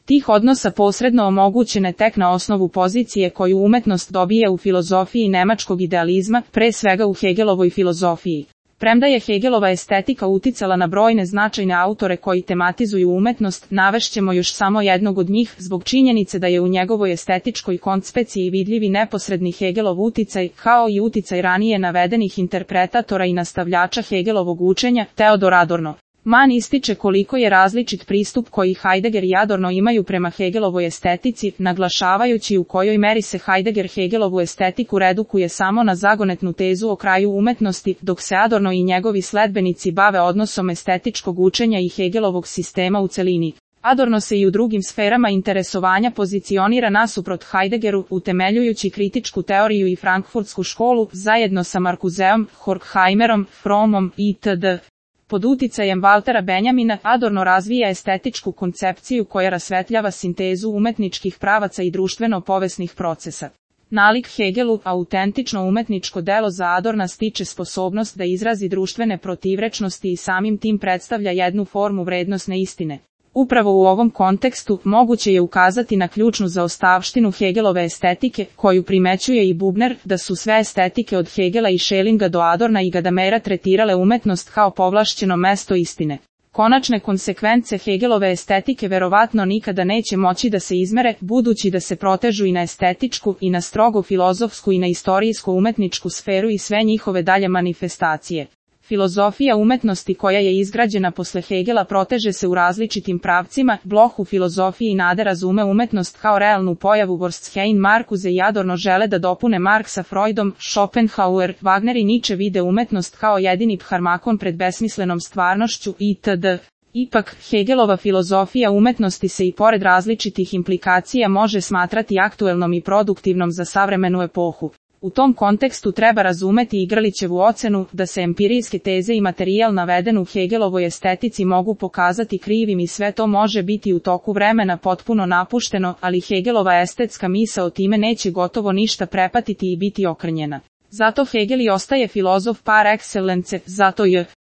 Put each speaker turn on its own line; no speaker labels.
tih odnosa posredno omogućene tek na osnovu pozicije koju umetnost dobije u filozofiji nemačkog idealizma, pre svega u Hegelovoj filozofiji. Premda je Hegelova estetika uticala na brojne značajne autore koji tematizuju umetnost, navešćemo još samo jednog od njih, zbog činjenice da je u njegovoj estetičkoj koncepciji vidljivi neposredni Hegelov uticaj, kao i uticaj ranije navedenih interpretatora i nastavljača Hegelovog učenja, Teodor Adorno. Mann ističe koliko je različit pristup koji Heidegger i Adorno imaju prema Hegelovoj estetici, naglašavajući u kojoj meri se Heidegger Hegelovu estetiku redukuje samo na zagonetnu tezu o kraju umetnosti, dok se Adorno i njegovi sledbenici bave odnosom estetičkog učenja i Hegelovog sistema u celini. Adorno se i u drugim sferama interesovanja pozicionira nasuprot Heideggeru, utemeljujući kritičku teoriju i frankfurtsku školu, zajedno sa Marcuseom, Horkheimerom, Frommom itd. Pod uticajem Waltera Benjamina, Adorno razvija estetičku koncepciju koja rasvetljava sintezu umetničkih pravaca i društveno-povesnih procesa. Nalik Hegelu, autentično umetničko delo za Adorna stiče sposobnost da izrazi društvene protivrečnosti i samim tim predstavlja jednu formu vrednosne istine. Upravo u ovom kontekstu moguće je ukazati na ključnu zaostavštinu Hegelove estetike, koju primećuje i Bubner, da su sve estetike od Hegela i Schellinga do Adorna i Gadamera tretirale umetnost kao povlašćeno mesto istine. Konačne konsekvence Hegelove estetike verovatno nikada neće moći da se izmere, budući da se protežu i na estetičku, i na strogo filozofsku i na istorijsko-umetničku sferu i sve njihove dalje manifestacije. Filozofija umetnosti koja je izgrađena posle Hegela proteže se u različitim pravcima, Bloch u filozofiji nade razume umetnost kao realnu pojavu, Wortsheim, Marcuse i Adorno žele da dopune Marksa Freudom, Schopenhauer, Wagner i Nietzsche vide umetnost kao jedini pharmakon pred besmislenom stvarnošću itd. Ipak, Hegelova filozofija umetnosti se i pored različitih implikacija može smatrati aktuelnom i produktivnom za savremenu epohu. U tom kontekstu treba razumeti Igralićevu ocenu da se empirijske teze i materijal naveden u Hegelovoj estetici mogu pokazati krivim i sve to može biti u toku vremena potpuno napušteno, ali Hegelova estetska misao time neće gotovo ništa prepatiti i biti okrnjena. Zato Hegel i ostaje filozof par excellence, zato je